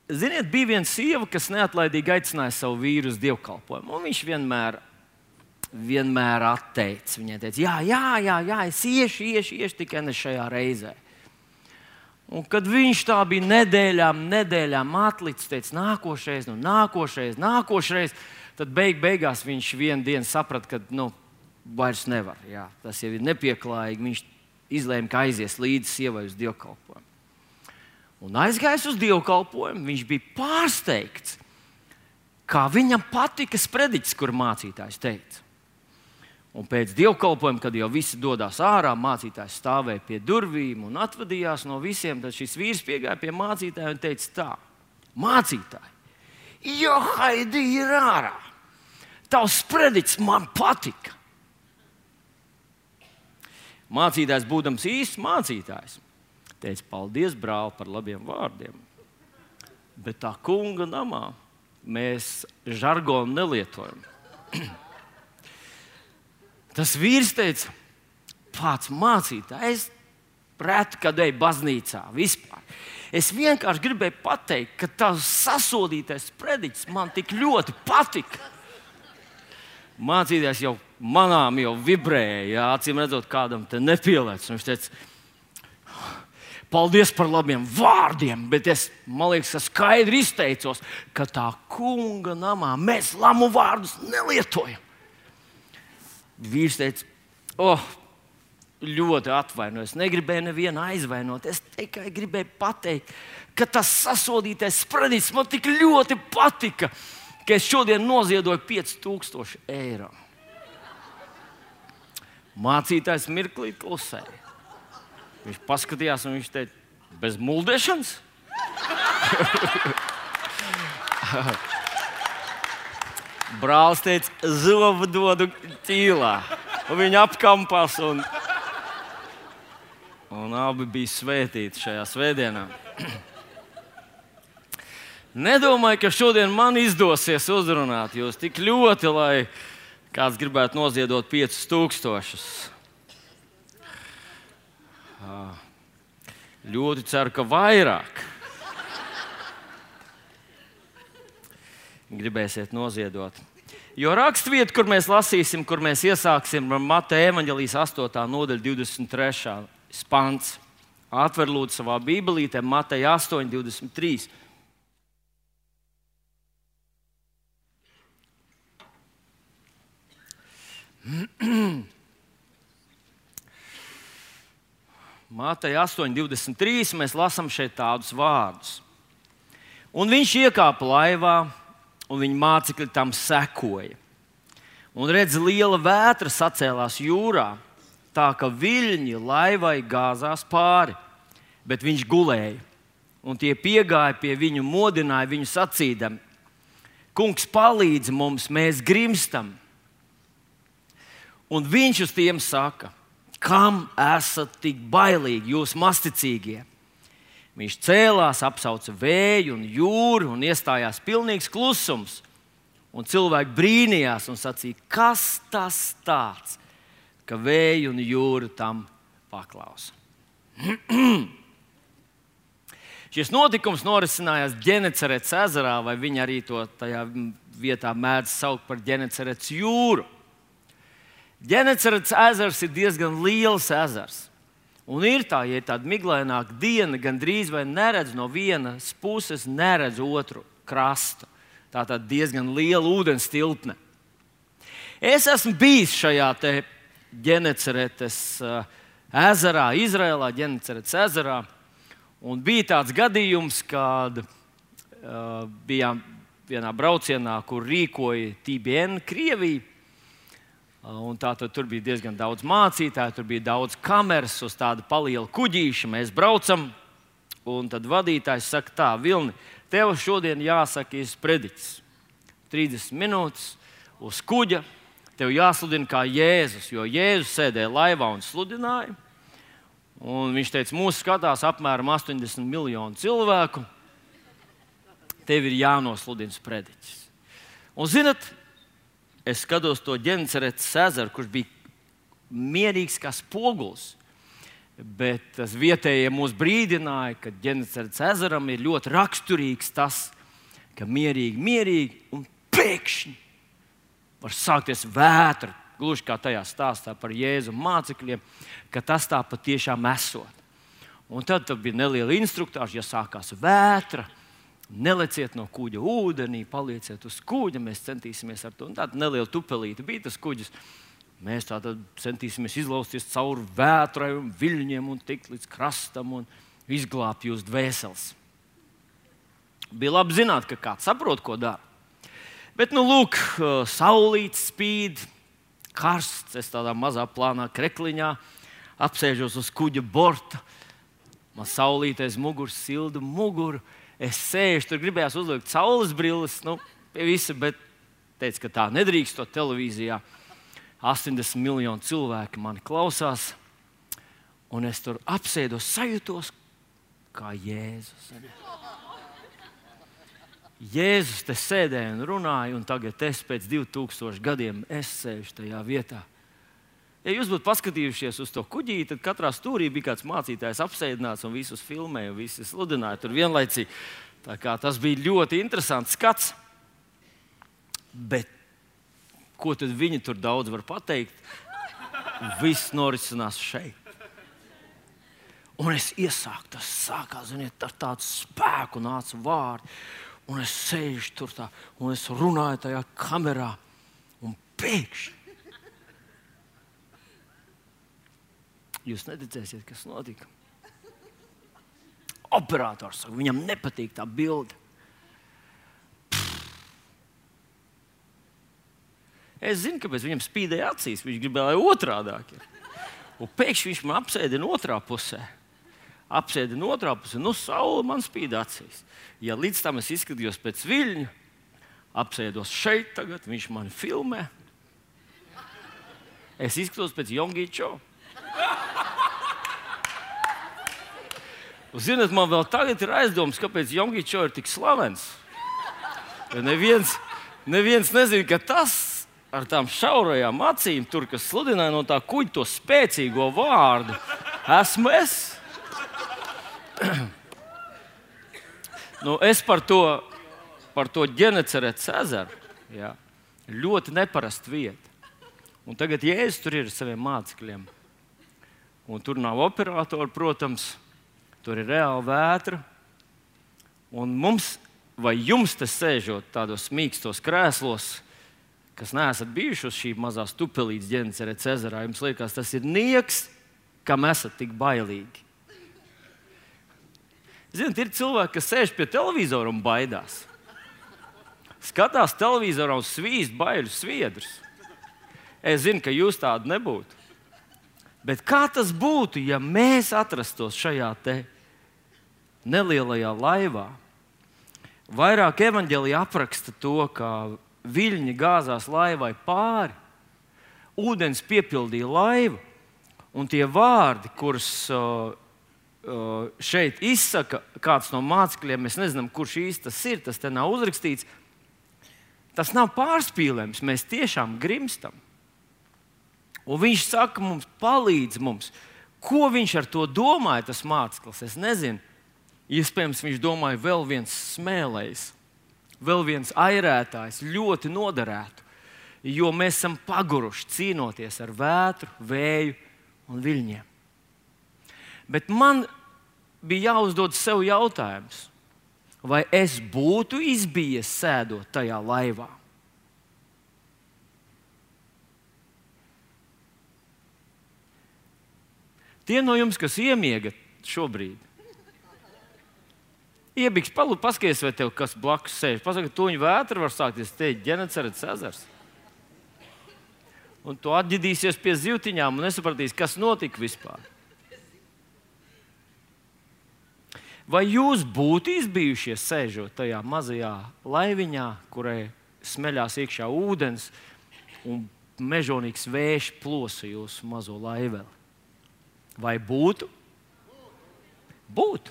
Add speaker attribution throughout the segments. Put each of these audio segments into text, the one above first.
Speaker 1: ziniet, bija viena sieva, kas neatlaidīgi aicināja savu vīru uz dievkalpojumu. Un viņš vienmēr atteica. Viņai teica, jā, es iešu, tikai ne šajā reizē. Un kad viņš tā bija nedēļām atlicis, teica, nākošais, tad beigās viņš vienu dienu saprata, ka vairs nevar. Jā, tas jau ir nepieklājīgi. Viņš izlēma, ka aizies līdzi sievai uz dievkalpojumu. Un aizgājis uz dievkalpojumu, viņš bija pārsteigts, kā viņam patika sprediķis, kur mācītājs teica. Un pēc dievkalpojuma, kad jau visi dodas ārā, mācītājs stāvēja pie durvīm un atvadījās no visiem. Tad šis vīrs piegāja pie mācītāja un teica tā: mācītāji, Haidi ir ārā! Tavs sprediķis man patika! Mācītājs, būdams īsts mācītājs, teica: paldies, brāl, par labiem vārdiem. Bet tā kunga namā mēs žargonu nelietojam. Tas vīrs teica: pats mācītājs, es reti kad eju baznīcā vispār. Es vienkārši gribēju pateikt, ka tavs sasodītais sprediķis man tik ļoti patika. Mācītājs jau manām vibrēja, acīm redzot, kādam te nepielēc. Viņš teica: paldies par labiem vārdiem, bet man liekas, ka skaidri izteicos, ka tā kunga namā mēs lamu vārdus nelietojam. Vīrs teica: ļoti atvainojos, negribēju nevienu aizvainot. Es tikai gribēju pateikt, ka tas sasodītais sprediķis man tik ļoti patika, ka es šodien noziedoju 5000 eiro. Mācītājs mirklīt klusēja. Viņš paskatījās un viņš teica: bez muldēšanas? Brālis teica: zobu dodu ķīlā. Un viņi apkampās un abi bija svētīti šajā svētdienā. Nedomāju, ka šodien man izdosies uzrunāt jūs tik ļoti, lai kāds gribētu noziedot 5000. Ļoti ceru, ka vairāk gribēsiet noziedot. Jo rakstvieta, kur mēs lasīsim, kur mēs iesāksim ar Mateja evaņģēlijas 8. nodaļa 23. pants. Atver lūdzu savā bībelītē Mateja 8:23. Mateja 8:23 mēs lasām šeit tādus vārdus. Un viņš iekāpa laivā, un viņa mācekļi tam sekoja. Un redz, liela vētra sacēlās jūrā, tā ka viļņi laivai gāzās pāri, bet viņš gulēja. Un tie piegāja pie viņu, modināja viņu sacīdami: kungs, palīdzi mums, mēs grimstam. Un viņš uz tiem saka: kam esat tik bailīgi, jūs masticīgie? Viņš cēlās, apsauca vēju un jūru un iestājās pilnīgs klusums. Un cilvēki brīnījās un sacīja: kas tas tāds, ka vēju un jūra tam paklausa? Šis notikums norisinājās Ģenecaretes ezerā, vai viņi arī to tajā vietā mēdz saukt par Ģenecaretes jūru. Ģenecaretes ezers ir diezgan liels ezers. Un ir tā, ja ir tāda miglaināka diena, gandrīz vai neredz no vienas puses, neredz otru krastu. Tā tad diezgan liela ūdens tilpne. Es esmu bijis šajā Ģenecaretes ezerā, Izrēlā, Ģenecaretes ezerā. Un bija tāds gadījums, kad bijām vienā braucienā, kur rīkoja TBN Krievija. Un tur bija diezgan daudz mācītāju, tur bija daudz kameras uz tāda paliela kuģīša. Mēs braucam, un tad vadītājs saka tā: Vilni, tev šodien jāsaka sprediķis. 30 minūtes uz kuģa, tev jāsludina kā Jēzus, jo Jēzus sēdēja laivā un sludināja. Un viņš teica, mūs skatās apmēram 80 miljonu cilvēku. Tev ir jānosludina sprediķis. Un zinat, es skatos to Ģenecaretes ezeru, kurš bija mierīgs kā spogulis. Bet tas vietējie mūs brīdināja, ka Ģenecaretes ezeram ir ļoti raksturīgs tas, ka mierīgi un pēkšņi var sākties vētra, gluži kā tajā stāstā par Jēzu mācekļiem, ka tas tā patiešām esot. Un tad bija neliela instruktāža, ja sākās vētra, neleciet no kuģa ūdenī, palieciet uz kuģa, mēs centīsimies ar to. Un tāda neliela tupelīte bija tas kuģis. Mēs tātad centīsimies izlausties cauri vētrai un viļņiem un tikt līdz krastam un izglābt jūs dvēseles. Bija labi zināt, ka kāds saprot, ko dara. Bet, lūk, saulīte spīd, karsts, es tādā mazā plānā krekliņā apsēžos uz kuģa borta. Man saulīte aiz muguras silda muguru. Es sēžu, tur gribējās uzlikt saules brilles, pie visa, bet teicu, ka tā nedrīkst to televīzijā. 80 miljoni cilvēki mani klausās, un es tur apsēdos, sajūtos kā Jēzus. Jēzus te sēdēja un runāja, un tagad es pēc 2000 gadiem sēžu tajā vietā. Ja jūs būtu paskatījušies uz to kuģīti, tad katrā stūrī bija kāds mācītājs apsēdināts un visus filmēja, un visi sludināja tur vienlaicīgi. Tā kā tas bija ļoti interesants skats. Bet ko tad viņi tur daudz var pateikt? Viss norisinās šeit. Un es iesāku, tas sākās, ar tādu spēku nāca vārdi. Un es sēžu tur tā, un es runāju tajā kamerā, un pēkšņi jūs neticēsiet, kas notika. Operators saka, viņam nepatīk tā bilde. Es zinu, kāpēc viņam spīdēja acīs. Viņš gribēja, lai otrādāk ir. Un pēkšņi viņš man apsēdina otrā pusē. Saule man spīd acīs. Ja līdz tam es izskatījos pēc viļņa, apsēdos šeit tagad, viņš mani filmē. Es izskatos pēc Jongīčo. Ziniet, man vēl tagad ir aizdoms, kāpēc Jongīčo ir tik slavens. Ja neviens nezina, ka tas ar tām šaurajām acīm, tur, kas sludināja no tā kuģa to spēcīgo vārdu, esmu es. Es par to Ģenecaretes ezeru, jā, ļoti neparasta vieta. Un tagad Jēzus tur ir ar saviem mācekļiem. Un tur nav operatori, protams, tur ir reāla vētra. Un mums, vai jums te sēžot tādos mīkstos krēslos, kas neesat bijuši uz šī mazās tupelītes Ģenecaretes ezerā, jums liekas, tas ir nieks, kam esat tik bailīgi. Ziniet, ir cilvēki, kas sēž pie televizora un baidās. Skatās televizorā un svīst baiļu sviedrus. Es zinu, ka jūs tādi nebūtu. Bet kā tas būtu, ja mēs atrastos šajā te nelielajā laivā? Vairāk evaņģēlija apraksta to, kā viļņi gāzās laivai pāri, ūdens piepildīja laivu, un tie vārdi, kurus šeit izsaka kāds no mācekļiem, mēs nezinām, kurš īsti tas ir, tas te nav uzrakstīts, tas nav pārspīlējums, mēs tiešām grimstam. Un viņš saka mums, palīdz mums. Ko viņš ar to domāja, tas māceklis? Es nezinu. Iespējams, viņš domāja vēl viens smēlējs, vēl viens airētājs, ļoti noderētu, jo mēs esam paguruši cīnoties ar vētru, vēju un viļņiem. Bet man bija jāuzdod sev jautājums, vai es būtu izbijies sēdot tajā laivā? Tie no jums, kas iemiega šobrīd, iebiks, paskaties, vai tev kas blakus sēž. Pasaka, tuņu vētra var sākties, te ir Ģenecaretes ezers. Un tu atģidīsies pie zivtiņām un nesapratīsi, kas notika vispār. Vai jūs būtu izbijušies sēžot tajā mazajā laiviņā, kurai smeļās iekšā ūdens un mežonīgs vējš plosa jūsu mazo laiveli? Vai būtu? Būtu.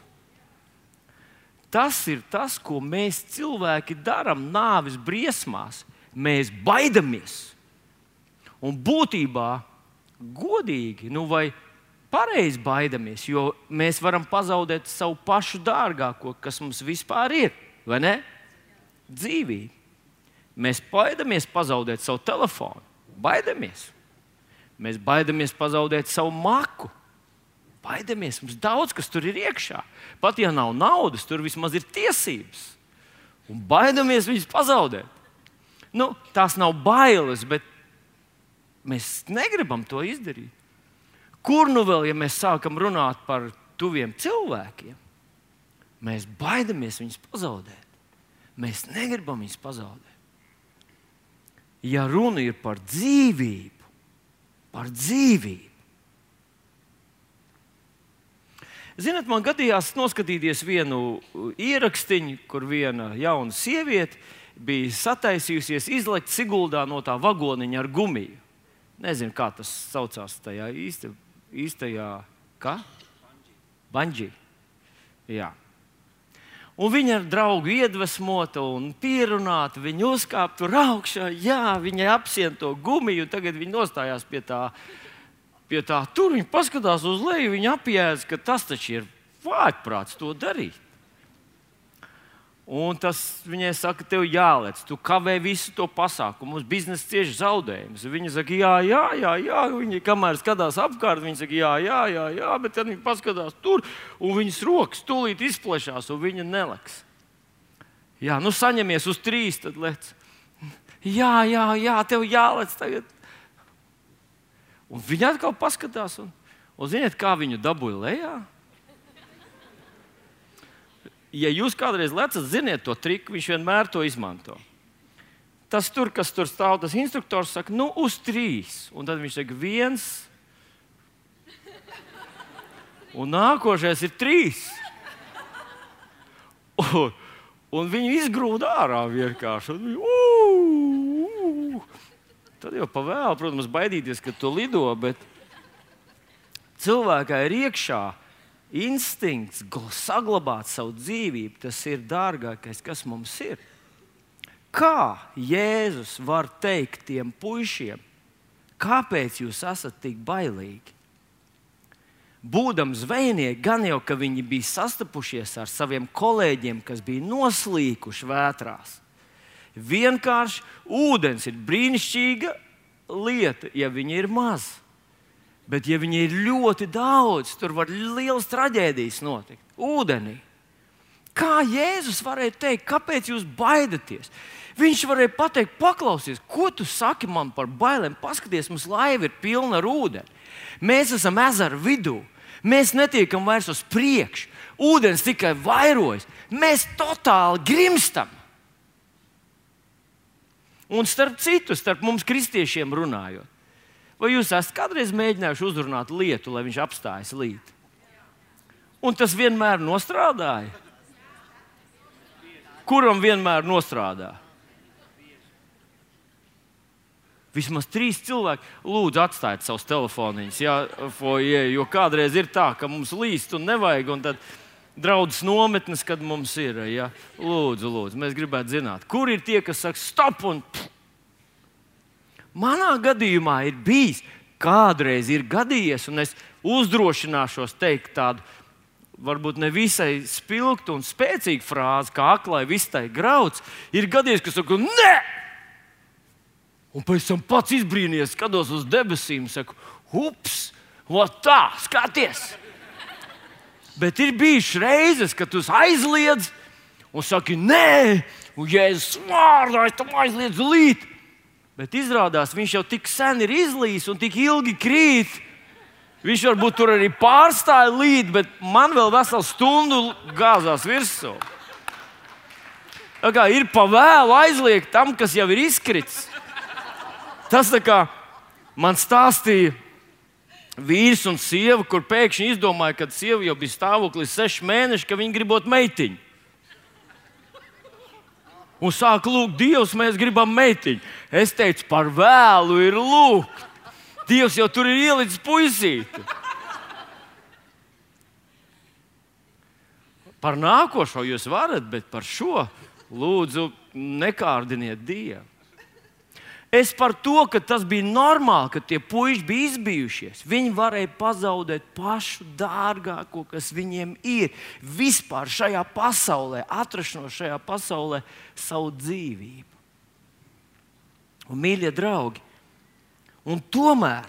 Speaker 1: Tas ir tas, ko mēs cilvēki darām nāves briesmās. Mēs baidamies. Un būtībā godīgi, vai pareizi baidamies, jo mēs varam pazaudēt savu pašu dārgāko, kas mums vispār ir, vai ne? Dzīvību. Mēs baidamies pazaudēt savu telefonu. Baidamies. Mēs baidamies pazaudēt savu maku. Baidamies. Mums daudz kas tur ir iekšā. Pat ja nav naudas, tur vismaz ir tiesības. Un baidamies viņus pazaudēt. Tās nav bailes, bet mēs negribam to izdarīt. Kur nu vēl, ja mēs sākam runāt par tuviem cilvēkiem, mēs baidamies viņus pazaudēt. Mēs negribam viņus pazaudēt. Ja runa ir par dzīvību, Ziniet, man gadījās noskatīties vienu ierakstiņu, kur viena jauna sieviete bija sataisījusies izlekt Siguldā no tā vagoniņa ar gumiju. Nezinu, kā tas saucās tajā īstajā, kā? Banģī. Jā. Un viņa ar draugu iedvesmota un pierunāta, viņa uzkāpa tur augšā, viņa apsien to gumiju, un tagad viņa nostājās pie tā tur, viņa paskatās uz leju, viņa apjēdz, ka tas taču ir vājprāts to darīt. Un tas viņai saka, tev jālec, tu kavē visu to pasākumu, mums biznesa cieši zaudējums. Viņa saka, jā, viņa kamēr skatās apkārt, viņa saka, jā, bet tad viņa paskatās tur, un viņas rokas tūlīt izplešās, un viņa neleks. Jā, saņemies uz 3, tad lec. Jā, tev jālec tagad. Un viņa atkal paskatās, un ziniet, kā viņu dabūja lejā? Ja jūs kādreiz lecat, ziniet to triku, viņš vienmēr to izmanto. Tas tur, kas tur stāv, tas instruktors saka, uz 3. Un tad viņš saka, 1. Un nākošais ir 3. Un viņu izgrūda ārā vienkārši. Tad jau pavēl, protams, baidīties, ka tu lido, bet cilvēkā ir iekšā instinkts saglabāt savu dzīvību. Tas ir dārgākais, kas mums ir. Kā Jēzus var teikt tiem puišiem, kāpēc jūs esat tik bailīgi? Būdami zvejnieki, gan jau, ka viņi bija sastapušies ar saviem kolēģiem, kas bija noslīkuši vētrās. Vienkārši ūdens ir brīnišķīga lieta, ja viņi ir maz. Bet, ja viņi ir ļoti daudz, tur var lielas traģēdijas notikt. Ūdenī. Kā Jēzus varēja teikt, kāpēc jūs baidaties? Viņš varēja pateikt, paklausies, ko tu saki man par bailēm? Paskaties, mums laiva ir pilna ar ūdeni. Mēs esam ezera vidū. Mēs netiekam vairs uz priekšu. Ūdens tikai vairojas. Mēs totāli grimstam. Un starp citu, starp mums kristiešiem runājot, vai jūs esat kādreiz mēģinājuši uzrunāt lietu, lai viņš apstājas līt? Un tas vienmēr nostrādāja? Kuram vienmēr nostrādā? Vismaz 3 cilvēki. Lūdzu, atstājiet savus telefoniņus, jo kādreiz ir tā, ka mums līst un nevajag, un tad draudzes nometnes, kad mums ir. Ja? Lūdzu, mēs gribētu zināt, kur ir tie, kas saka stop un pff. Manā gadījumā ir bijis, kādreiz ir gadījies, un es uzdrošināšos teikt tādu, varbūt ne visai spilgtu un spēcīgu frāzi, kā aklai vistai grauds, ir gadījies, kas saka, nē! Un pēc tam pats izbrīnījies, skatos uz debesīm, saku, ups, tā, skaties! Bet ir bijušas reizes, kad tu aizliedz un saki, nē, un Jēzus vārdā es tam aizliedzu līt. Bet izrādās, viņš jau tik sen ir izlījis un tik ilgi krīt. Viņš varbūt tur arī pārstāja līt, bet man vēl veselu stundu gāzās virsū. Tā kā ir pa vēlu aizliegt tam, kas jau ir izkritis. Tas tā kā man stāstīja vīrs un sieva, kur pēkšņi izdomāja, kad sieva jau bija stāvoklī 6 mēneši, ka viņi gribot meitiņu. Un sāk lūgt, Dievs, mēs gribam meitiņu. Es teicu, par vēlu ir lūgt. Dievs jau tur ir ielicis puisīti. Par nākošo jūs varat, bet par šo lūdzu nekārdiniet Dievu. Es par to, ka tas bija normāli, ka tie puiši bija izbijušies. Viņi varēja pazaudēt pašu dārgāko, kas viņiem ir vispār šajā pasaulē, atrašanos šajā pasaulē, savu dzīvību. Un, mīļie draugi, un tomēr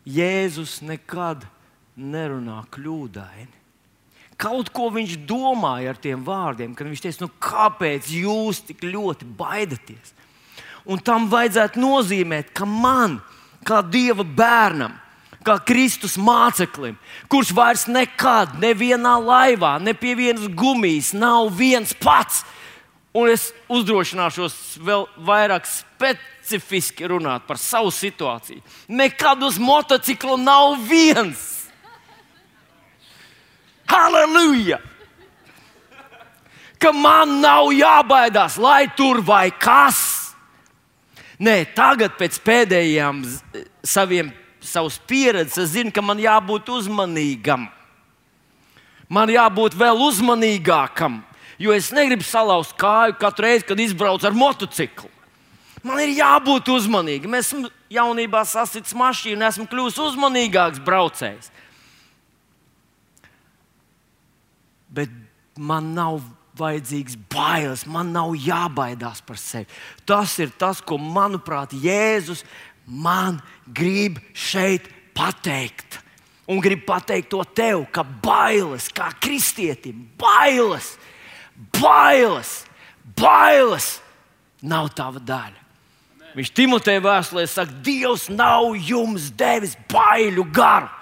Speaker 1: Jēzus nekad nerunā kļūdaini. Kaut ko viņš domāja ar tiem vārdiem, kad viņš teica, kāpēc jūs tik ļoti baidaties? Un tam vajadzētu nozīmēt, ka man, kā Dieva bērnam, kā Kristus māceklim, kurš vairs nekad, nevienā laivā, ne pie vienas gumijas nav viens pats, un es uzdrošināšos vēl vairāk specifiski runāt par savu situāciju. Nekad uz motocikla nav viens. Halleluja! Ka man nav jābaidās, lai tur vai kas. Nē, tagad pēc pēdējām savas pieredzes es zinu, ka man jābūt uzmanīgam. Man jābūt vēl uzmanīgākam, jo es negribu salauzt kāju katru reizi, kad izbraucu ar motociklu. Man ir jābūt uzmanīgam. Esmu jaunībā sasitis mašīnu un esmu kļuvis uzmanīgāks braucējs. Bet man nav vajadzīgs bailes, man nav jābaidās par sevi. Tas ir tas, ko, manuprāt, Jēzus man grib šeit pateikt. Un grib pateikt to tev, ka bailes, kā kristietim, bailes nav tava daļa. Viņš Timoteja vēstulē saka, Dievs nav jums devis baiļu garu.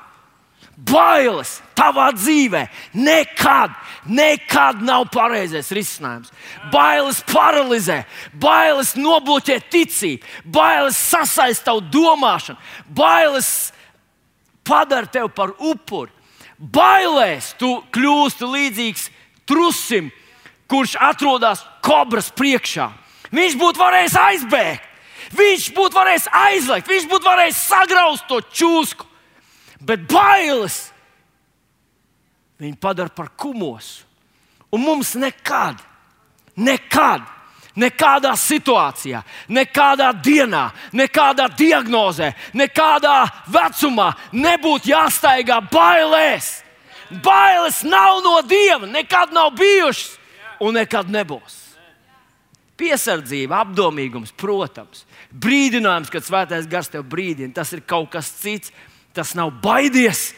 Speaker 1: Bailes tavā dzīvē nekad nav pareizais risinājums. Bailes paralizē, bailes nobloķē ticību, bailes sasaista tavu domāšanu, bailes padara tevi par upuri. Bailēs tu kļūsti līdzīgs trusim, kurš atrodas kobras priekšā. Viņš būtu varējis aizbēgt, viņš būtu varējis aizliegt, viņš būtu varējis sagrauzt to čūsku. Bet bailes viņu padara par kumosu. Un mums nekādā situācijā, nekādā dienā, nekādā diagnozē, nekādā vecumā nebūtu jāstaigā bailēs. Bailes nav no Dieva, nekad nav bijušas un nekad nebūs. Piesardzība, apdomīgums, protams. Brīdinājums, kad Svētais Gars tev brīdina, tas ir kaut kas cits. Tas nav baidies,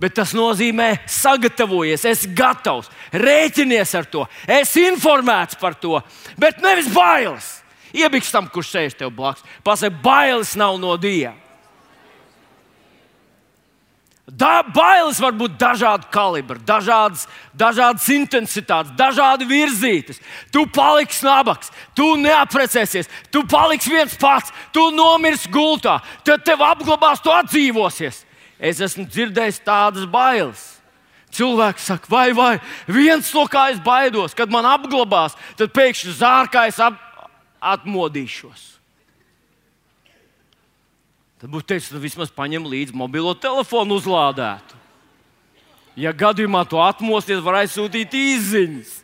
Speaker 1: bet tas nozīmē sagatavojies, esi gatavs, rēķinies ar to, esi informēts par to, bet nevis bailes. Iebiks tam, kurš sēž tev blakus. Pasaka, bailes nav no Dieva. Bailes var būt dažādu kalibru, dažādas intensitātes, dažādi virzītas. Tu paliksi nabaks, tu neaprecēsies, tu paliksi viens pats, tu nomirsi gultā, tad tev apglabās, tu atdzīvosies. Es esmu dzirdējis tādas bailes. Cilvēks saka, vai viens no kā es baidos, kad man apglabās, tad pēkšņi zārkājs atmodīšos. Tad būtu teicis, vismaz paņem līdzi mobilo telefonu uzlādētu. Ja gadījumā to atmosties, var aizsūtīt īsziņas.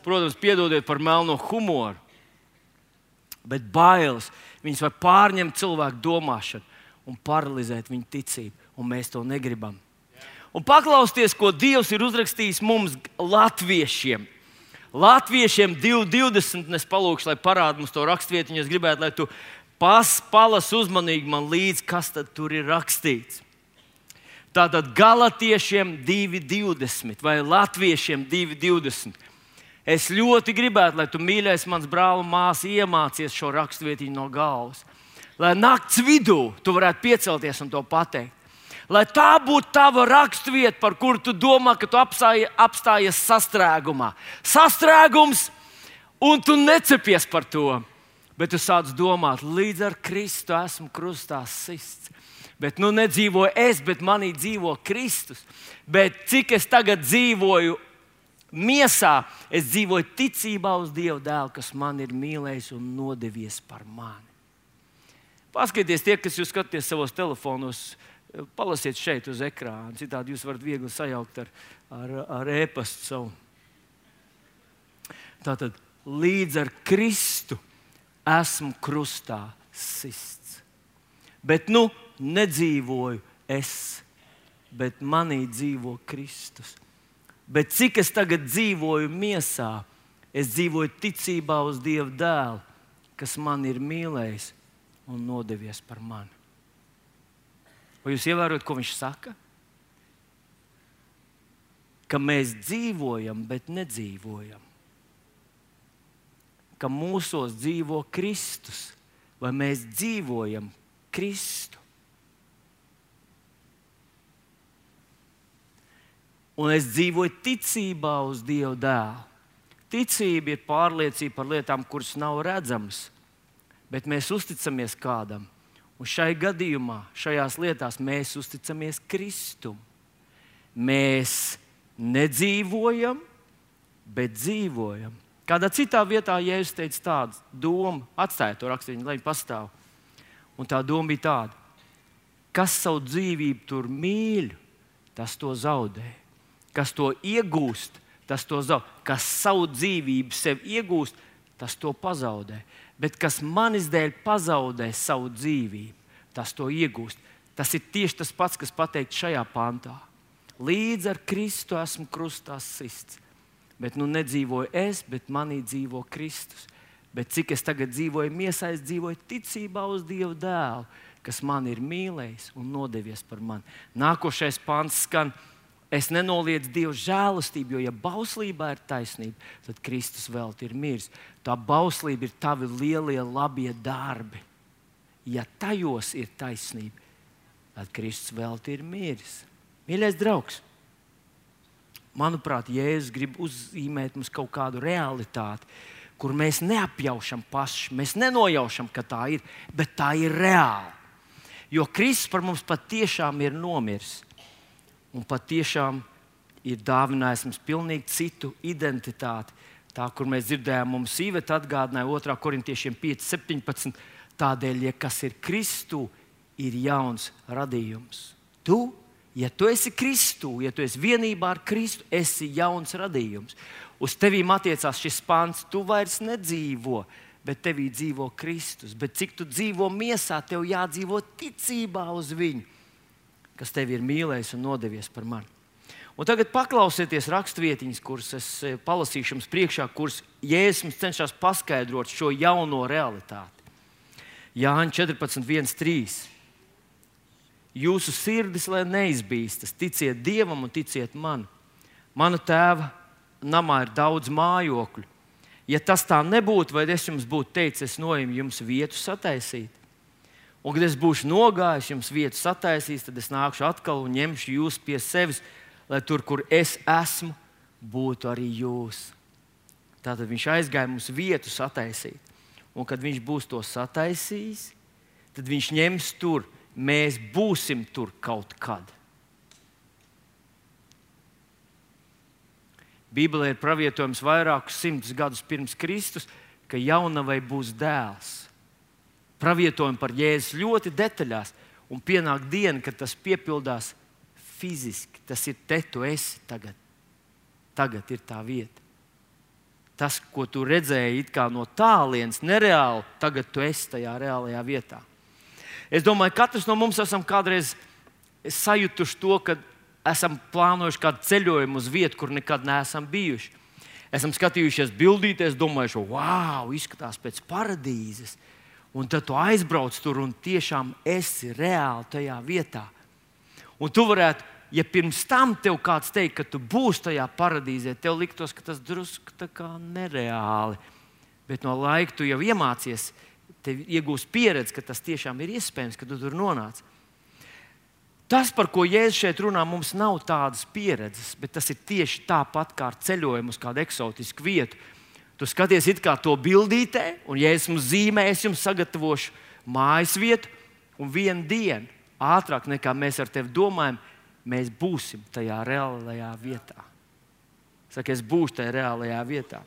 Speaker 1: Protams, piedodiet par melno humoru. Bet bailes, viņas var pārņemt cilvēku domāšanu un paralizēt viņu ticību. Un mēs to negribam. Un paklausieties, ko Dievs ir uzrakstījis mums, latviešiem. Latviešiem 2:20, es palūkšu, lai parāda mums to rakstvietiņu. Es gribētu, lai tu palas uzmanīgi man līdzi, kas tad tur ir rakstīts. Tātad Galatiešiem 2:20 vai Latviešiem 2:20. Es ļoti gribētu, lai tu, mīļais mans brāl un māsa, iemācies šo rakstvietiņu no galvas. Lai nakts vidū tu varētu piecelties un to pateikt. Lai tā būtu tava raksturvieta, par kuru tu domā, ka tu apstājies sastrēgumā. Sastrēgums, un tu necepies par to. Bet tu sāc domāt, līdz ar Kristu esmu krustā sists. Bet nu nedzīvoju es, bet manī dzīvo Kristus. Bet cik es tagad dzīvoju miesā, es dzīvoju ticībā uz Dieva dēlu, kas man ir mīlējis un nodevies par mani. Paskatieties, tie, kas jūs skatāties savos telefonos, palasiet šeit uz ekrāna. Citādi jūs varat viegli sajaukt ar e-pastu savu. Tātad līdz ar Kristu esmu krustā sists. Bet nedzīvoju es, bet manī dzīvo Kristus. Bet cik es tagad dzīvoju miesā, es dzīvoju ticībā uz Dieva dēlu, kas man ir mīlējis un nodevies par mani. Vai jūs ievērojat, ko viņš saka? Ka mēs dzīvojam, bet nedzīvojam. Ka mūsos dzīvo Kristus, vai mēs dzīvojam Kristu. Un es dzīvoju ticībā uz Dieva dēlu. Ticība ir pārliecība par lietām, kuras nav redzamas, bet mēs uzticamies kādam. Un šai gadījumā, šajās lietās mēs uzticamies Kristum. Mēs nedzīvojam, bet dzīvojam. Kādā citā vietā Jēzus teica tādu domu, atstāja to rakstīnu, lai viņi pastāv. Un tā doma bija tāda: kas savu dzīvību tur mīl, tas to zaudē. Kas to iegūst, tas to zaudē. Kas savu dzīvību sev iegūst, tas to pazaudē. Bet kas manis dēļ pazaudē savu dzīvību, tas to iegūst. Tas ir tieši tas pats, kas pateikts šajā pantā. Līdz ar Kristu esmu krustā sists. Bet nedzīvoju es, bet manī dzīvo Kristus. Bet cik es tagad dzīvoju miesā, es dzīvoju ticībā uz Dieva dēlu, kas man ir mīlējis un nodevies par mani. Nākošais pants skan: es nenoliedzu Dieva žēlastību, jo ja bauslībā ir taisnība, tad Kristus velti ir miris. Tā bauslība ir tavi lielie labie darbi. Ja tajos ir taisnība, tad Kristus velti ir miris. Mīļais draugs, manuprāt, Jēzus grib uzzīmēt mums kaut kādu realitāti, kur mēs neapjaušam paši, mēs nenojaušam, ka tā ir, bet tā ir reāla. Jo Kristus par mums patiešām ir nomiris. Un patiešām ir dāvinājis mums pilnīgi citu identitāti. Tā, kur mēs dzirdējām, mums Iveta atgādināja 2. Korintiešiem 5:17. Tādēļ, ja kas ir Kristū, ir jauns radījums. Ja tu esi Kristū, ja tu esi vienībā ar Kristu, esi jauns radījums. Uz tevīm attiecās šis pants: tu vairs nedzīvo, bet tevī dzīvo Kristus. Bet cik tu dzīvo miesā, tev jādzīvo ticībā uz viņu, kas tevi ir mīlējis un nodevies par mani. Un tagad paklausieties rakstvietiņas, kuras es palasīšu jums priekšā, kuras Jēzus cenšas paskaidrot šo jauno realitāti. Jāņa 14:1-3. Jūsu sirdis, lai neizbīstas, ticiet Dievam un ticiet man. Mana tēva namā ir daudz mājokļu. Ja tas tā nebūtu, vai es jums būtu teicis, es noeju jums vietu sataisīt. Un, kad es būšu nogājis, jums vietu sataisīs, tad es nākšu atkal un ņemšu jūs pie sevis, lai tur, kur es esmu, būtu arī jūs. Tātad viņš aizgāja mums vietu sataisīt. Un, kad viņš būs to sataisījis, tad viņš ņems tur. Mēs būsim tur kaut kad. Bībelē ir pravietojums vairākus simtus gadus pirms Kristus, ka jaunavai būs dēls. Pravietojumi par Jēzus ļoti detaļās, un pienāk diena, kad tas piepildās fiziski. Tas ir te, tu esi tagad. Tagad ir tā vieta. Tas, ko tu redzēji it kā no tālienes, nereāli, tagad tu esi tajā reālajā vietā. Es domāju, ka katrs no mums esam kādreiz sajutuši to, ka esam plānojuši kādu ceļojumu uz vietu, kur nekad neesam bijuši. Esam skatījušies bildīties, domājuši, wow, izskatās pēc paradīzes. Un tad tu aizbrauc tur un tiešām esi reāli tajā vietā. Un tu varētu, ja pirms tam tev kāds teikt, ka tu būsi tajā paradīzē, tev liktos, ka tas drusku tā kā nereāli. Bet no laika tu jau iemācies, tev iegūst pieredzi, ka tas tiešām ir iespējams, ka tu tur nonāc. Tas, par ko Jēzus šeit runā, mums nav tādas pieredzes, bet tas ir tieši tāpat kā ar ceļojumu uz kādu eksotisku vietu. Tu skaties it kā to bildītē, un Jēzus mums zīmē, es jums sagatavošu mājas vietu, un vienu dienu, ātrāk nekā mēs ar tevi domājam, mēs būsim tajā reālajā vietā. Saka, es būšu tajā reālajā vietā.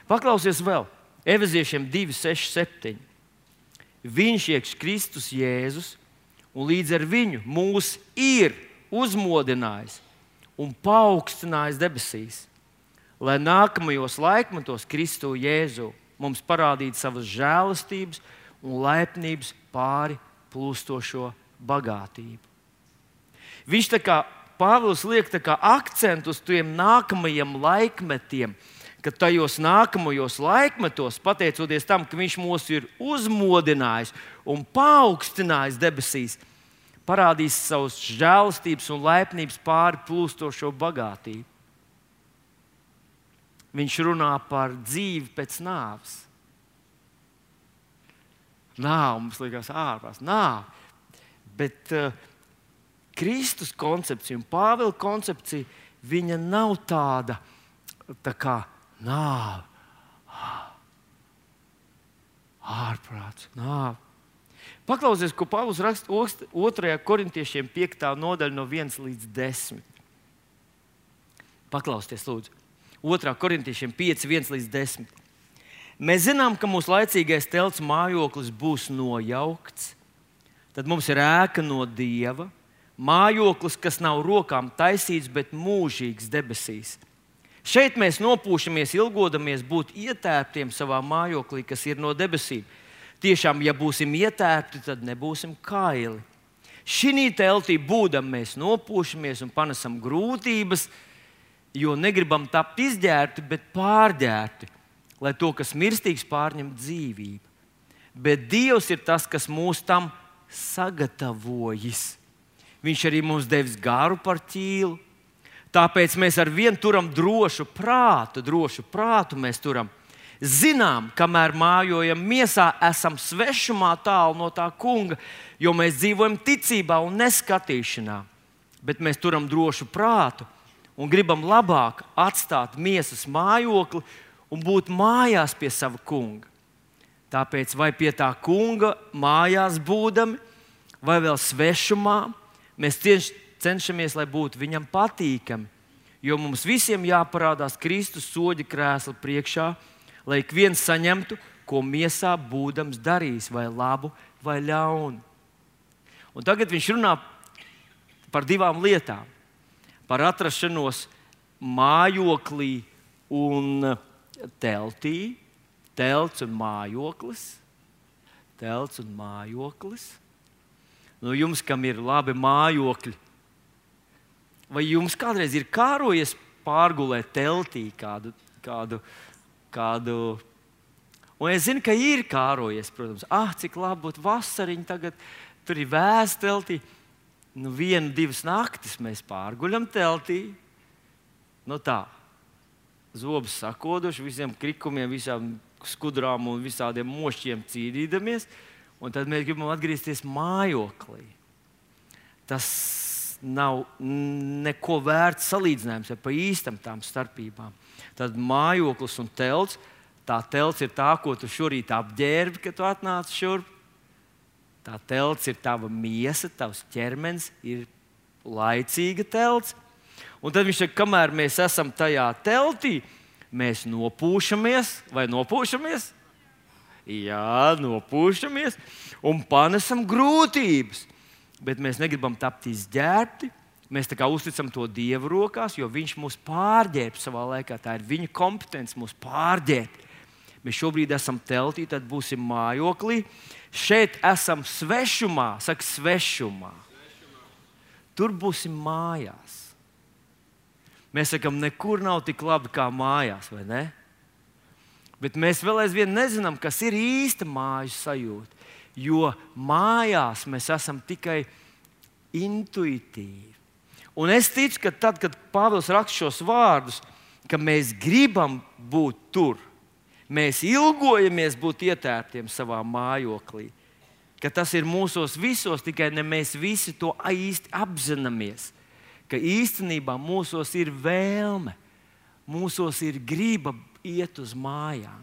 Speaker 1: Paklausies vēl. Efeziešiem 2:6-7. Viņš iekš Kristus Jēzus, un līdz ar viņu mūs ir uzmodinājis un paaugstinājis debesīs, lai nākamajos laikmetos Kristu Jēzu mums parādīt savas žēlastības un laipnības pāri plūstošo bagātību. Viņš tā kā Pāvils liek tā kā akcentu uz tiem nākamajiem laikmetiem, ka tajos nākamajos laikmetos, pateicoties tam, ka viņš mūs ir uzmodinājis un paaugstinājis debesīs, parādīs savus žēlastības un laipnības pāri plūstošo bagātību. Viņš runā par dzīvi pēc nāves. Nāve mums liekas ārprāts, nāve. Bet Kristus koncepcija un Pāvila koncepcija, viņa nav tāda tā kā nāve, ārprāts, nāve. Paklausies, ko Pāvils raksta 2. korintiešiem 5. nodaļa no 1 līdz 10. Paklausieties, lūdzu. 2. korintiešiem 5, 1 līdz 10. Mēs zinām, ka mūsu laicīgais telts mājoklis būs nojaukts. Tad mums ir ēka no Dieva, mājoklis, kas nav rokām taisīts, bet mūžīgs debesīs. Šeit mēs nopūšamies, ilgodamies būt ietērptiem savā mājoklī, kas ir no debesīm. Tiešām, ja būsim ietērpti, tad nebūsim kaili. Šī teltī būdam mēs nopūšamies un panesam grūtības, jo negribam tapt izģērbti, bet pārģērbti, lai to, kas mirstīgs, pārņem dzīvību. Bet Dievs ir tas, kas mūs tam sagatavojis. Viņš arī mums devis garu par ķīlu. Tāpēc mēs ar vienu turam drošu prātu mēs turam. Zinām, kamēr mājojam miesā, esam svešumā tālu no tā kunga, jo mēs dzīvojam ticībā un neskatīšanā. Bet mēs turam drošu prātu un gribam labāk atstāt miesas mājokli un būt mājās pie sava kunga. Tāpēc vai pie tā kunga mājās būdami, vai vēl svešumā, mēs cenšamies, lai būtu viņam patīkami, jo mums visiem jāparādās Kristus soļa krēsla priekšā, lai ik viens saņemtu, ko miesā būdams darījis, vai labu, vai ļaunu. Un tagad viņš runā par divām lietām. Par atrašanos mājoklī un teltī. Telts un mājoklis. Telts un mājoklis. Nu, jums, kam ir labi mājokļi, vai jums kādreiz ir kārojies pārgulēt teltī kādu? Un es zinu, ka ir kārojies, protams. Cik labi būtu vasariņa tagad, tur ir vēss teltī. Nu, 1-2 naktis mēs pārguļam teltī. Nu tā, zobus sakoduši, visiem krikumiem, visām skudrām un visādiem mošķiem cīnīdamies. Un tad mēs gribam atgriezties mājoklī. Tas nav neko vērts salīdzinājums ar pa īstam tām starpībām. Tad mājoklis un telts. Tā telts ir tā, ko tu šorīt apģērbi, kad tu atnāc šurp. Tā telts ir tava miesa, tavs ķermenis, ir laicīga telts. Un tad viņš saka, kamēr mēs esam tajā teltī, mēs nopūšamies, vai nopūšamies? Jā, nopūšamies un panesam grūtības. Bet mēs negribam tapt izģērbti. Mēs tā kā uzticam to Dievu rokās, jo viņš mūs pārģērb savā laikā. Tā ir viņa kompetence mūs pārģērbt. Mēs šobrīd esam teltī, tad būsim mājoklī. Šeit esam svešumā, saka svešumā. Tur būsim mājās. Mēs sakam, nekur nav tik labi kā mājās, vai ne? Bet mēs vēl aizvien nezinām, kas ir īsta mājas sajūta. Jo mājās mēs esam tikai intuitīvi. Un es ticu, ka tad, kad Pāvils raksta šos vārdus, ka mēs gribam būt tur, mēs ilgojamies būt ietērptiem savā mājoklī, ka tas ir mūsos visos, tikai ne mēs visi to īsti apzināmies. Ka īstenībā mūsos ir vēlme, mūsos ir griba iet uz mājām.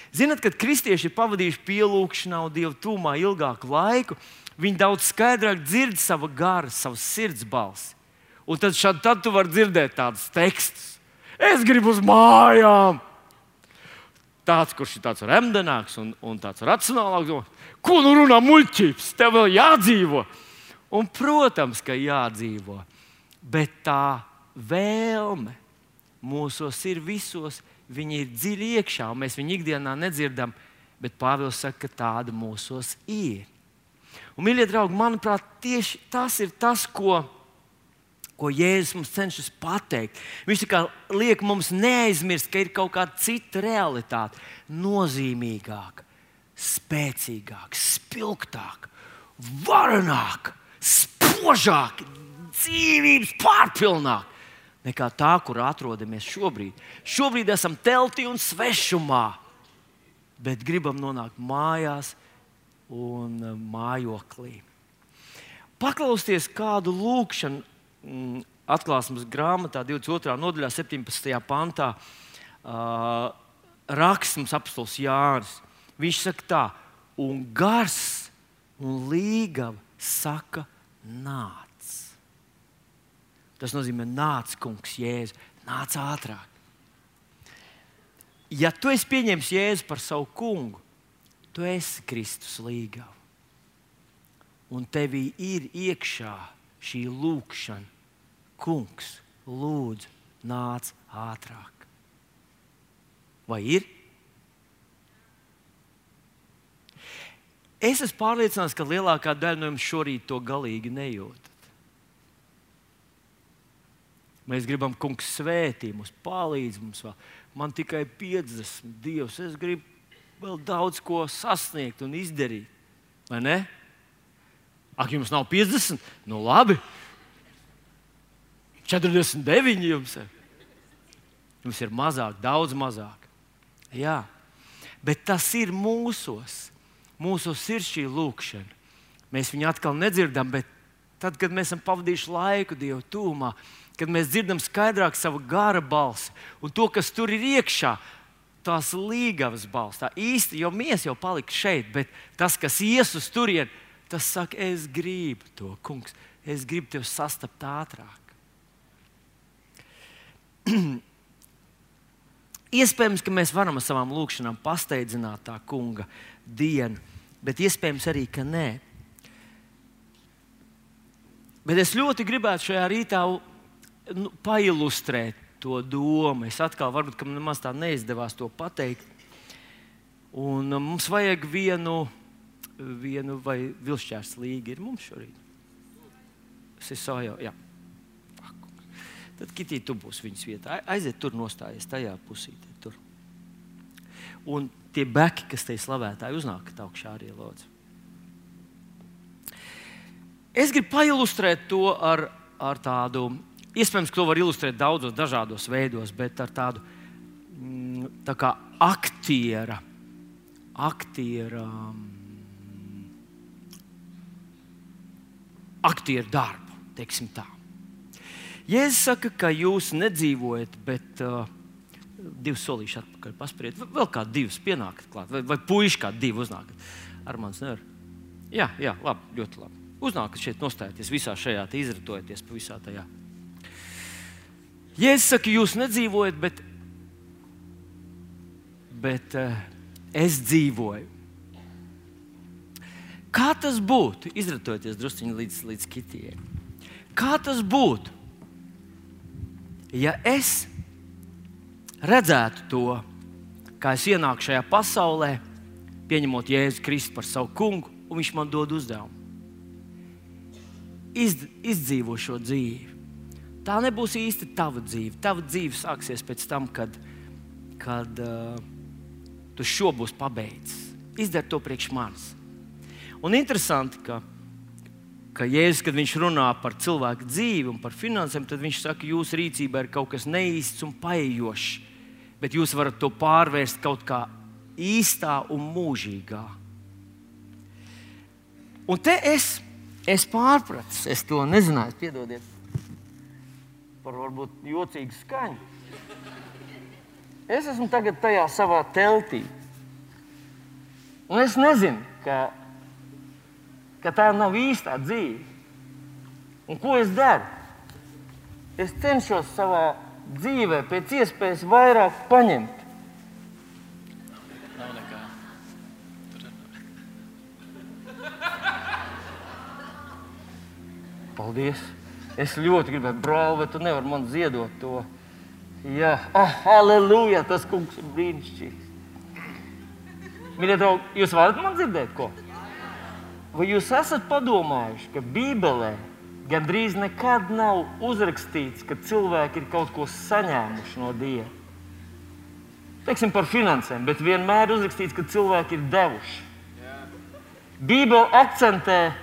Speaker 1: Zināt, kad kristieši ir pavadījuši pielūgšanā un Dieva tūmā ilgāku laiku, viņi daudz skaidrāk dzird savu garu, savu sirds balsi. Un tad tu vari dzirdēt tādus tekstus. Es gribu uz mājām! Tāds, kurš ir tāds remdenāks un tāds racionālāks. Ko nu runā muļķības? Tev vēl jādzīvo! Un, protams, ka jādzīvo, bet tā vēlme mūsos ir visos viņi ir dziļi iekšā, un mēs viņu ikdienā nedzirdam, bet Pāvils saka, ka tāda mūsos ir. Un, mīļie draugi, manuprāt, tieši tas ir tas, ko Jēzus mums cenšas pateikt. Viņš liek mums neaizmirst, ka ir kaut kāda cita realitāte, nozīmīgāka, spēcīgāka, spilgtāka, varenāka, spožāka, dzīvības pārpilnāka nekā tā, kur atrodamies šobrīd. Šobrīd esam teltī un svešumā, bet gribam nonākt mājās un mājoklī. Paklausties kādu lūkšanu Atklāsmes grāmatā, 22. nodaļā, 17. pantā, raksts mums apostols Jānis. Viņš saka tā, un gars un līgava saka, nāc. Tas nozīmē, nāc, kungs, Jēzu, nāc ātrāk. Ja tu esi pieņēmis Jēzu par savu kungu, tu esi Kristus līgava. Un tevī ir iekšā šī lūkšana, kungs, lūdzu, nāc ātrāk. Vai ir? Es esmu pārliecināts, ka lielākā daļa no jums šorīt to galīgi nejūtat. Mēs gribam, kungs, svētī mums, palīdz mums vēl. Man tikai 50, Dievs, es gribu vēl daudz ko sasniegt un izdarīt. Vai ne? Ak, jums nav 50? Nu labi. 49 jums ir. Jums ir mazāk, daudz mazāk. Jā, bet tas ir mūsos. Mūsos ir šī lūkšana. Mēs viņu atkal nedzirdam, bet tad, kad mēs esam pavadījuši laiku Dieva tūmā, kad mēs dzirdam skaidrāk savu gara balsi un to, kas tur ir iekšā, tās līgavas balss, tā īsti, jo mēs jau palika šeit, bet tas, kas ies uz turieni, tas saka, es gribu to, kungs, es gribu tevi sastapt ātrāk. Iespējams, ka mēs varam ar savām lūkšanām pasteidzināt tā kunga dienu, bet iespējams arī, ka nē. Bet es ļoti gribētu šajā rītā pailustrēt to domu. Es atkal varbūt, ka man nemaz tā neizdevās to pateikt. Un mums vajag vienu vai vilšķērs līga ir mums šorīt. Es esmu jau, jā. Tad, Kitī, tu būsi viņas vietā. Aiziet tur nostājies, tajā pusītē. Tur. Un tie beki, kas te ir slavētāji, uznākat augšā arī, lūdzu. Es gribu pailustrēt to ar tādu, iespējams, ka to var ilustrēt daudzos dažādos veidos, bet ar tādu tā kā aktiera darbu, teiksim tā. Jēzus saka, ka jūs nedzīvojat, bet divus solīšus atpakaļ paspēriet. Vēl kā divus pienākat klāt, vai puiši kā divi uznākat. Armāns nevar. Jā, labi, ļoti labi. Uznākat šeit nostājieties visā šajā, izratojieties pa visā tajā. Jēzus saka, jūs nedzīvojat, bet es dzīvoju. Kā tas būtu? Izratojieties drusciņi līdz Kitijai. Kā tas būtu? Ja es redzētu to, kā es ienāku šajā pasaulē, pieņemot Jēzu Kristu par savu kungu, un viņš man dod uzdevumu. Izdzīvo šo dzīvi. Tā nebūs īsti tava dzīve. Tava dzīve sāksies pēc tam, kad tu šo būs pabeidzis. Izdari to priekš manis. Un interesanti, ka Jēzus, kad viņš runā par cilvēku dzīvi un par finansēm, tad viņš saka, jūsu rīcībā ir kaut kas neīsts un paejošs, bet jūs varat to pārvērst kaut kā īstā un mūžīgā. Un te es pārpratis, es to nezināju, piedodiet par varbūt jocīgu skaņu. Es esmu tagad tajā savā teltī. Un es nezinu, ka tā nav īstā dzīve. Un ko es daru? Es cenšos savā dzīvē pēc iespējas vairāk paņemt.
Speaker 2: Nav nekā.
Speaker 1: Paldies! Es ļoti gribētu, brāl, vai tu nevari man ziedot to Jā, halleluja, tas kungs ir brīnišķīgs. Mīļie draugi, jūs varat man dzirdēt ko? Vai jūs esat padomājuši, ka Bībelē gandrīz nekad nav uzrakstīts, ka cilvēki ir kaut ko saņēmuši no Dieva? Teiksim par finansēm, bet vienmēr uzrakstīts, ka cilvēki ir devuši. Bībele akcentē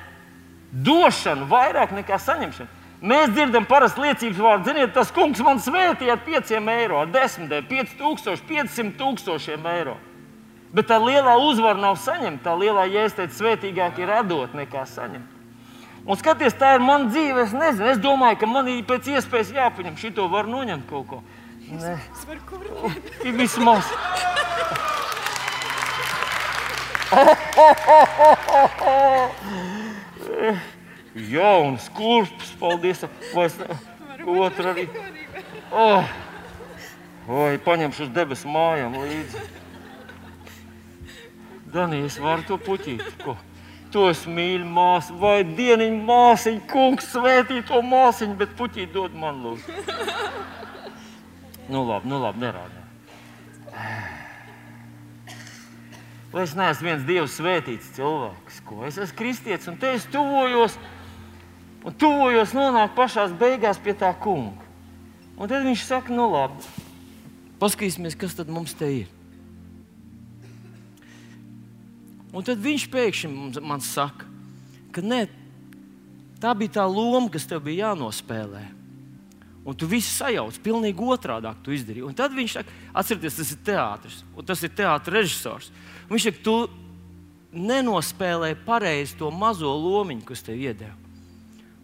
Speaker 1: došanu vairāk nekā saņemšanu. Mēs dzirdam parasti liecības vārdu, ziniet, tas kungs man svētīja ar 5 eiro, ar 10, 5000, 500 000 eiro. Bet tā lielā uzvara nav saņemta, tā lielā Jēzus teica, svētīgāk ir atdot nekā saņemt. Un skaties, tā ir mana dzīve, es nezinu, es domāju, ka man ir pēc iespējas jāpaņem, šito var noņemt kaut ko. Nē, ir vismaz. Jauns kurpes, paldies. Vai otru arī. Vai paņemšu uz debesu mājām līdzi. Dani, es varu to puķīt. Ko? To es mīļu māsu. Vai dieniņu māsiņu, kungs svētī to māsiņu, bet puķīt dod man lūdzu. Nu labi, nerādā. Vai es neesmu viens Dievs svētīts cilvēks? Ko? Es esmu kristietis un te es tuvojos nonāk pašās beigās pie tā kunga. Un tad viņš saka, nu labi, paskatīsimies, kas tad mums te ir. Un tad viņš pēkšņi man saka, ka ne, tā bija tā loma, kas tev bija jānospēlē. Un tu visu sajauc, pilnīgi otrādāk tu izdarīji. Un tad viņš saka, atcerieties, tas ir teātris, un tas ir teātra režisors. Un viņš saka, tu nenospēlēji pareizi to mazo lomiņu, kas tev iedeva.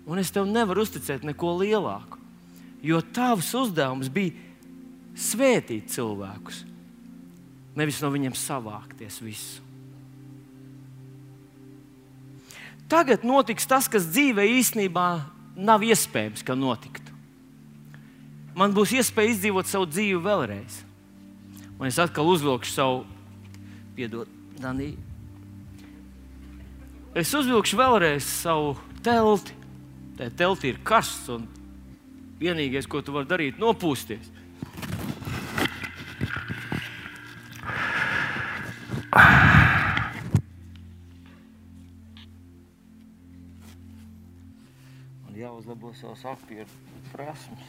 Speaker 1: Un es tev nevaru uzticēt neko lielāku, jo tavs uzdevums bija svētīt cilvēkus, nevis no viņiem savākties visu. Tagad notiks tas, kas dzīvē īstenībā nav iespējams, ka notiktu. Man būs iespēja izdzīvot savu dzīvi vēlreiz. Un es atkal uzvilkšu savu, piedod, Danī. Es uzvilkšu vēlreiz savu telti. Tā telti ir karsts un vienīgais, ko tu vari darīt, nopūsties. Man jāuzlabo savas aktieru prasmes.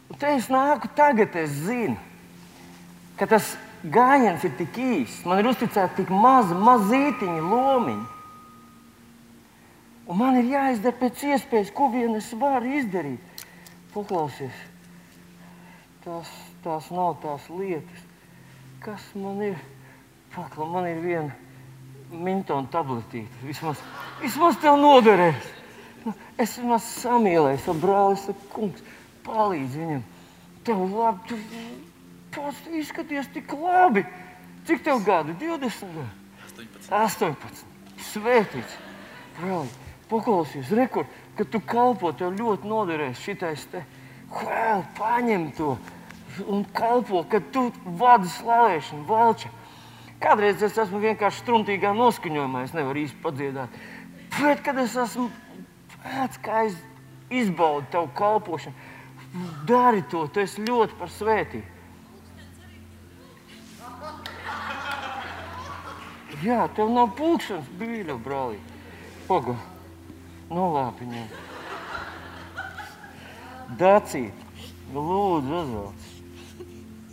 Speaker 1: Un te es nāku tagad, es zinu, ka tas gājiens ir tik īsts. Man ir uzticēta tik mazītiņa lomiņa. Un man ir jāizdara pēc iespējas, ko vien es varu izdarīt. Paklausies, tās nav tās lietas. Kas man ir? Paklau, man ir viena mintona tabletīte. Vismaz tev noderēs. Es vismaz samīlēju savu brāli, es saku, kungs, palīdz viņam. Tev labi, tu izskaties tik labi. Cik tev gadu? 20 gadu? 18. Svētīts. Brāli, paklausies, rekur, kad tu kalpo, tev ļoti noderēs šitais te. Paņem to un kalpo, kad tu vadi slavēšanu, valča. Kādreiz es esmu vienkārši struntīgā noskaņojumā, es nevaru īsti padziedāt. Bet, kad es esmu pēc, kā es izbaudu tavu kalpošanu, dari to, tu esi ļoti par svētību. Jā, tev nav pulkšanas bīļa, brālī. Paga, nolāpi ņem. Dacīt, lūdzu, uzvelc.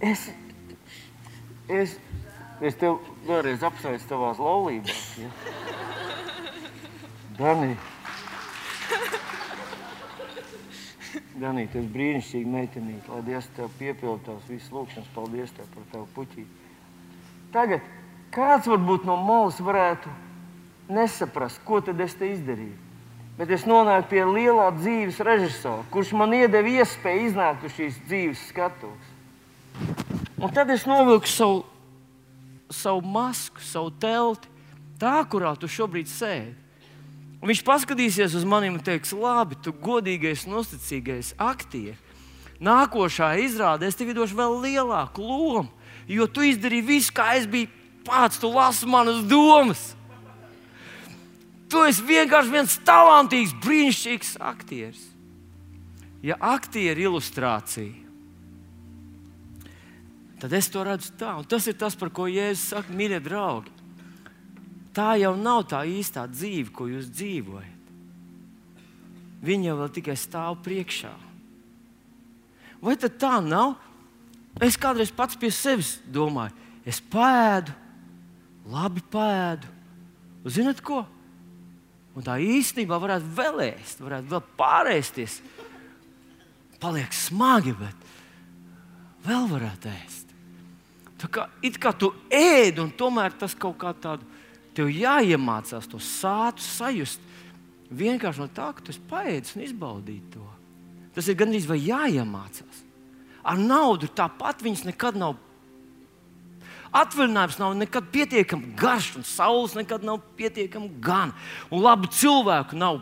Speaker 1: Es tev vēlreiz apsveicu tavās laulībās, ja? Danī, tu esi brīnišķīgi meitenīte, lai Dievs tev piepilda tavas visas lūkšanas. Paldies tev par tavu puķīti. Tagad, kāds varbūt no malas varētu nesaprast, ko tad es te izdarīju. Bet es nonāku pie lielā dzīves režisora, kurš man iedeva iespēju iznākt uz šīs dzīves skatuves. Un tad es novilku savu masku, savu telti, tā, kurā tu šobrīd sēdi. Un viņš paskatīsies uz maniem un teiks, labi, tu godīgais un uzticīgais aktieri. Nākošā izrādē es tev došu vēl lielāku lomu, jo tu izdarīji visu, kā es biju pats, tu lasi manas domas. Tu esi vienkārši viens talantīgs, brīnišķīgs aktieris. Ja aktieru ilustrācija tad es to redzu tā. Un tas ir tas, par ko Jēzus saka, mīļie draugi. Tā jau nav tā īstā dzīve, ko jūs dzīvojat. Viņa jau vēl tikai stāv priekšā. Vai tad tā nav? Es kādreiz pats pie sevis domāju, es pēdu, labi pēdu. Un zināt ko? Un tā īstenībā varētu vēl ēst, varētu vēl pārēsties. Paliek smagi, bet vēl varētu ēst. Tā kā, it kā tu ēd, un tomēr tas kaut kā tādu, tev jāiemācās to sātu sajust. Vienkārši no tā, ka tu esi paēdis un izbaudīt to. Tas ir gandrīz vai jāiemācās. Ar naudu tāpat viņas nekad nav. Atvaļinājums nav nekad pietiekami garš, un saules nekad nav pietiekami gan. Un labu cilvēku nav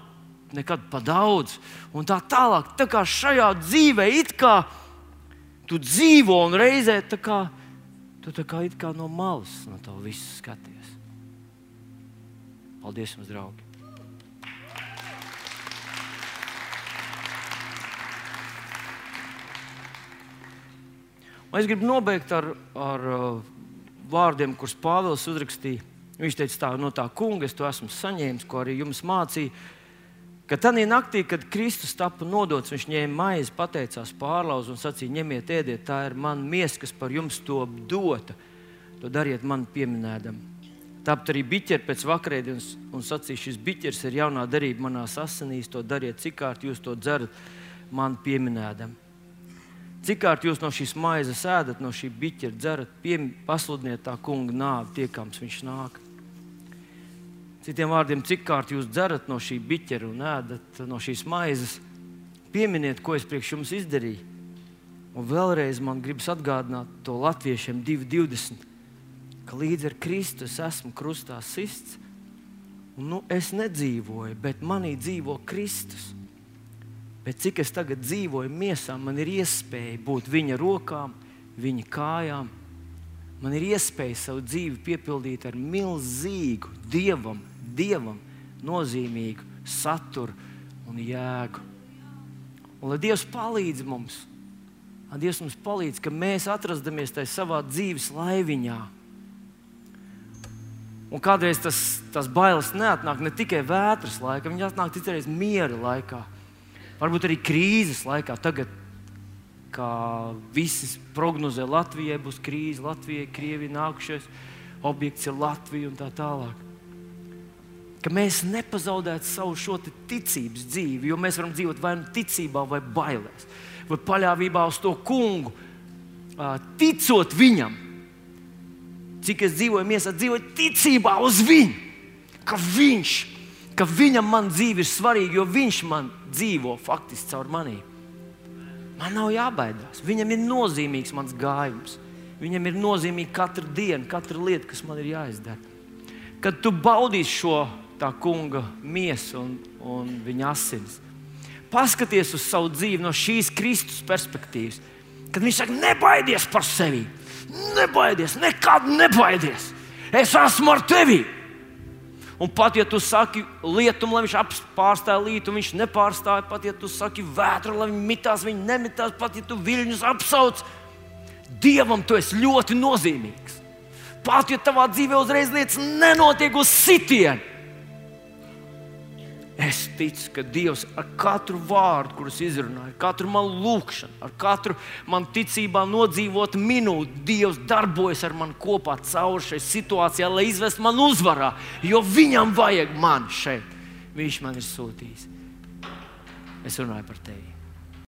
Speaker 1: nekad pa daudz. Un tā tālāk, tā kā šajā dzīvē it kā tu dzīvo un reizē tā kā, tu tā kā it kā no malas no to visu skaties. Paldies jums, draugi! Es gribu nobeigt ar vārdiem, kurus Pāvils uzrakstīja. Viņš teica, tā, no tā kunga es to esmu saņēmis, ko arī jums mācīja, ka tajā naktī, kad Kristus tapa nodots, viņš ņēma maizi, pateicās, pārlauza un sacīja, ņemiet, ēdiet, tā ir mana miesa, kas par jums to dota. To dariet man pieminēdam. Tāpat arī biķeri pēc vakarēdienas un sacīja, šis biķers ir jaunā darība manās asinīs, to dariet, cikārt jūs to dzerat man pieminēdam. Cikārt jūs no šīs maizes ēdat, no šī biķera dzerat, pasludiniet tā kunga nāvi, tiekams viņš nāk. Citiem vārdiem, cikārt jūs dzerat no šī biķera un ēdat no šīs maizes, pieminiet, ko es priekš jums izdarīju. Un vēlreiz man gribas atgādināt to latviešiem 2.20, ka līdz ar Kristu es esmu krustā sists, un es nedzīvoju, bet manī dzīvo Kristus. Bet cik es tagad dzīvoju miesā, man ir iespēja būt viņa rokām, viņa kājām. Man ir iespēja savu dzīvi piepildīt ar milzīgu, Dievam nozīmīgu saturu un jēgu. Un lai Dievs palīdz mums, ka mēs atrastamies tajā savā dzīves laiviņā. Un kādreiz tas bailes neatnāk ne tikai vētras laikā, viņi atnāk citreiz miera laikā. Varbūt arī krīzes laikā. Tagad, kā visi prognozē, Latvijai būs krīze, Latvijai, Krievija nākušais objekts ir Latvija un tā tālāk. Ka mēs nepazaudētu savu šo ticības dzīvi, jo mēs varam dzīvot vai ticībā, vai bailēs, vai paļāvībā uz to kungu, ticot viņam. Cik es dzīvoju miesā, dzīvoju ticībā uz viņu, ka viņam man dzīve ir svarīga, jo viņš man dzīvo faktiski caur manī. Man nav jābaidās. Viņam ir nozīmīgs mans gājums. Viņam ir nozīmīga katra diena, katra lieta, kas man ir jāizdara. Kad tu baudīsi šo tā kunga miesu un viņa asinis, paskaties uz savu dzīvi no šīs Kristus perspektīvas. Kad viņš saka, nebaidies par sevi. Nebaidies, nekad nebaidies. Es esmu ar tevi. Un pat, ja tu saki lietumu, lai viņš pārstāja lītu, viņš nepārstāja. Pat, ja tu saki vētru, lai viņi mitās, viņi nemitās. Pat, ja tu viļņus apsauc, Dievam tu esi ļoti nozīmīgs. Pat, ja tavā dzīvē uzreiz lietas nenotiek uz sitienu. Es ticu, ka Dievs ar katru vārdu, kurus izrunāju, katru manu lūkšanu, ar katru man ticībā nodzīvot minūti, Dievs darbojas ar mani kopā cauri šai situācijā, lai izvestu mani uzvarā, jo viņam vajag mani šeit. Viņš man ir sūtījis. Es runāju par tevi.